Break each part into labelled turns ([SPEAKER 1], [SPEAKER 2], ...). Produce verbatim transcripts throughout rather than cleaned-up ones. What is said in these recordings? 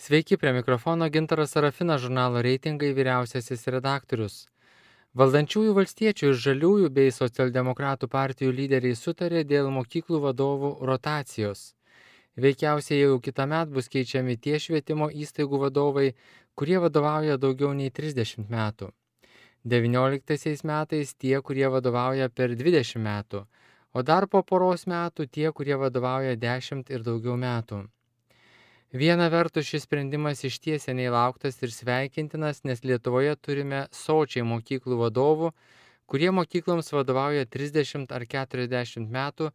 [SPEAKER 1] Sveiki, prie mikrofono Gintaras Sarafinas, žurnalo Reitingai vyriausiasis redaktorius. Valdančiųjų valstiečių ir žaliųjų bei socialdemokratų partijų lyderiai sutarė dėl mokyklų vadovų rotacijos. Veikiausiai jau kitąmet bus keičiami tie švietimo įstaigų vadovai, kurie vadovauja daugiau nei trisdešimt metų. devynioliktaisiais metais tie, kurie vadovauja per dvidešimt metų, o dar po poros metų tie, kurie vadovauja dešimt ir daugiau metų. Viena vertus šis sprendimas išties seniai lauktas ir sveikintinas, nes Lietuvoje turime sočiai mokyklų vadovų, kurie mokykloms vadovauja trisdešimt ar keturiasdešimt metų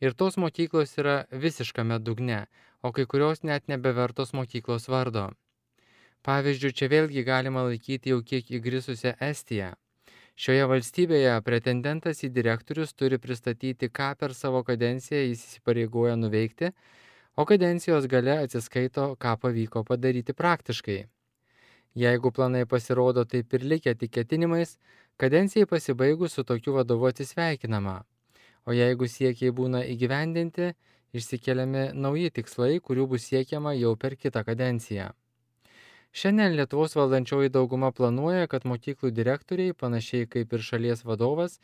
[SPEAKER 1] ir tos mokyklos yra visiškame dugne, o kai kurios net nebevertos mokyklos vardo. Pavyzdžiui, čia vėlgi galima laikyti jau kiek įgrisusią Estiją. Šioje valstybėje pretendentas į direktorius turi pristatyti, ką per savo kadenciją jis įsipareigoja nuveikti, o kadencijos gale atsiskaito, ką pavyko padaryti praktiškai. Jeigu planai pasirodo taip ir likę tik ketinimais, kadencijai pasibaigus su tokiu vadovu atsisveikinama. O jeigu siekiai būna įgyvendinti, išsikeliami nauji tikslai, kurių bus siekiama jau per kitą kadenciją. Šiandien Lietuvos valdančioji dauguma planuoja, kad mokyklų direktoriai, panašiai kaip ir šalies vadovas,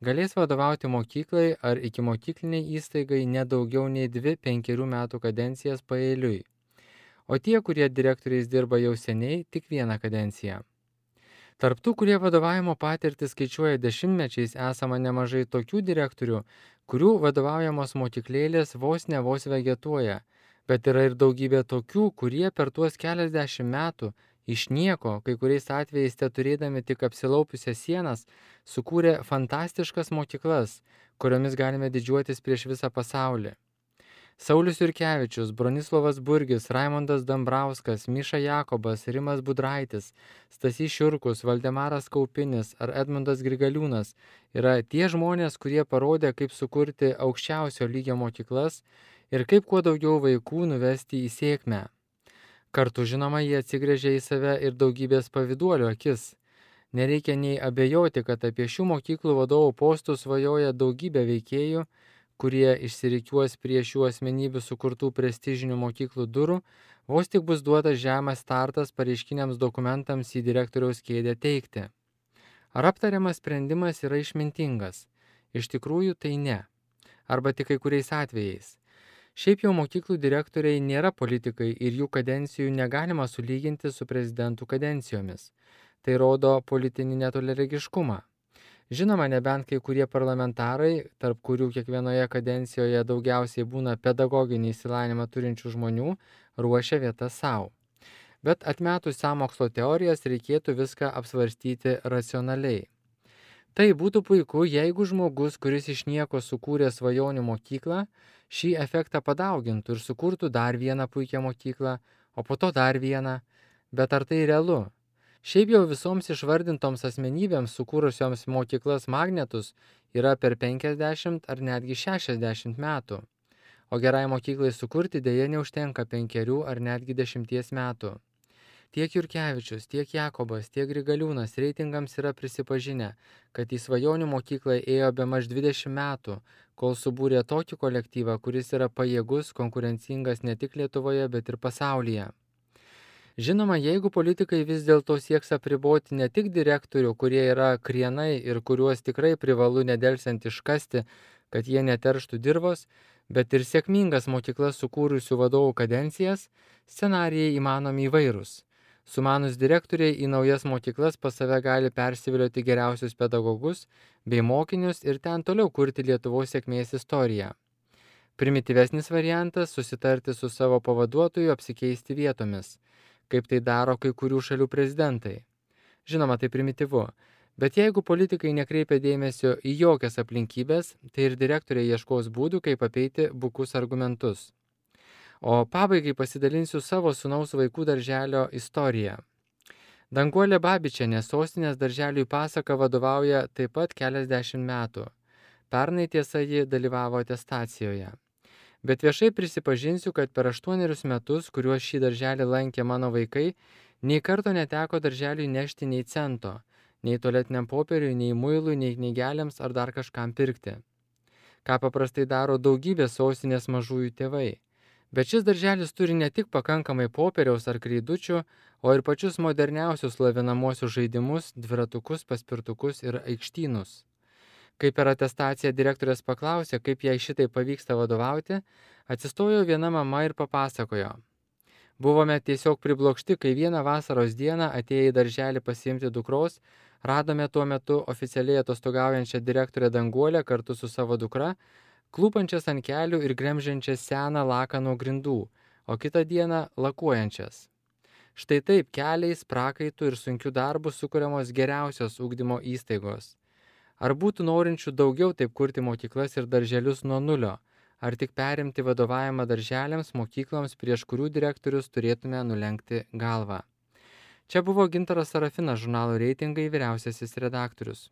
[SPEAKER 1] galės vadovauti mokyklai ar ikimokykliniai įstaigai ne daugiau nei dvi penkerių metų kadencijas paeiliui. O tie, kurie direktoriais dirba jau seniai, tik vieną kadenciją. Tarp tų, kurie vadovavimo patirtį skaičiuoja dešimtmečiais, esama nemažai tokių direktorių, kurių vadovaujamos mokyklėlės vos ne vos vegetuoja, bet yra ir daugybė tokių, kurie per tuos keliasdešimt metų iš nieko, kai kuriais atvejais te turėdami tik apsilaupiusias sienas, sukūrė fantastiškas mokyklas, kuriomis galime didžiuotis prieš visą pasaulį. Saulius Jurkevičius, Bronislovas Burgis, Raimondas Dambrauskas, Miša Jakobas, Rimas Budraitis, Stasys Šiurkus, Valdemaras Kaupinis ar Edmundas Grigaliūnas yra tie žmonės, kurie parodė, kaip sukurti aukščiausio lygio mokyklas ir kaip kuo daugiau vaikų nuvesti į sėkmę. Kartu, žinoma, jie atsigręžia į save ir daugybės pavyduolių akis. Nereikia nei abejoti, kad apie šių mokyklų vadovų postus svajoja daugybė veikėjų, kurie išsirikiuos prie šių asmenybių sukurtų prestižinių mokyklų durų, vos tik bus duotas žemas startas pareiškiniams dokumentams į direktoriaus kėdę teikti. Ar aptariamas sprendimas yra išmintingas? Iš tikrųjų tai ne. Arba tik kai kuriais atvejais. Šiaip jau mokyklų direktoriai nėra politikai ir jų kadencijų negalima sulyginti su prezidentų kadencijomis. Tai rodo politinį netoliaregiškumą. Žinoma, nebent kai kurie parlamentarai, tarp kurių kiekvienoje kadencijoje daugiausiai būna pedagoginį išsilavinimą turinčių žmonių, ruošia vietas savo. Bet atmetus sąmokslo teorijas reikėtų viską apsvarstyti racionaliai. Tai būtų puiku, jeigu žmogus, kuris iš nieko sukūrė svajonių mokyklą, šį efektą padaugintų ir sukurtų dar vieną puikią mokyklą, o po to dar vieną. Bet ar tai realu? Šiaip jau visoms išvardintoms asmenybėms sukūrusioms mokyklas magnetus yra per penkiasdešimt ar netgi šešiasdešimt metų. O gerai mokyklai sukurti dėja neužtenka penkerių ar netgi dešimties metų. Tiek Jurkevičius, tiek Jakobas, tiek Grigaliūnas reitingams yra prisipažinę, kad į svajonių mokyklą ėjo bemaž dvidešimt metų, kol subūrė tokį kolektyvą, kuris yra pajėgus, konkurencingas ne tik Lietuvoje, bet ir pasaulyje. Žinoma, jeigu politikai vis dėlto sieks apriboti ne tik direktorių, kurie yra krienai ir kuriuos tikrai privalu nedelsiant iškasti, kad jie neterštų dirvos, bet ir sėkmingas mokyklas sukūrusių vadovų kadencijas, scenarijai įmanomi įvairūs. Sumanus direktoriai į naujas mokyklas pas save gali persivilioti geriausius pedagogus bei mokinius ir ten toliau kurti Lietuvos sėkmės istoriją. Primityvesnis variantas – susitarti su savo pavaduotoju apsikeisti vietomis, kaip tai daro kai kurių šalių prezidentai. Žinoma, tai primityvu, bet jeigu politikai nekreipia dėmesio į jokias aplinkybės, tai ir direktoriai ieškos būdų, kaip apeiti bukus argumentus. O pabaigai pasidalinsiu savo sūnaus vaikų darželio istoriją. Danguolė Babičienė sostinės darželiui Pasaka vadovauja taip pat keliasdešimt metų. Pernai tiesa ji dalyvavo atestacijoje. Bet viešai prisipažinsiu, kad per aštuonerius metus, kuriuos šį darželį lankė mano vaikai, nei karto neteko darželiui nešti nei cento, nei tualetiniam popieriui, nei muilui, nei knygeliams ar dar kažkam pirkti. Ką paprastai daro daugybė sostinės mažųjų tėvai. Bet šis darželis turi ne tik pakankamai popieriaus ar kreidučių, o ir pačius moderniausius lavinamuosius žaidimus, dviratukus, paspirtukus ir aikštynus. Kai per atestaciją direktorės paklausė, kaip jai šitai pavyksta vadovauti, atsistojo viena mama ir papasakojo. Buvome tiesiog priblokšti, kai vieną vasaros dieną atėję į darželį pasiimti dukros, radome tuo metu oficialiai atostogaujančią direktorę Danguolę kartu su savo dukra, klūpančias ant kelių ir gremžiančias seną laką nuo grindų, o kitą dieną lakuojančias. Štai taip keliais, prakaitų ir sunkių darbų sukuriamos geriausios ugdymo įstaigos. Ar būtų norinčių daugiau taip kurti mokyklas ir darželius nuo nulio, ar tik perimti vadovavimą darželiams, mokykloms, prieš kurių direktorius turėtume nulenkti galvą? Čia buvo Gintaras Sarafinas, žurnalo Reitingai vyriausiasis redaktorius.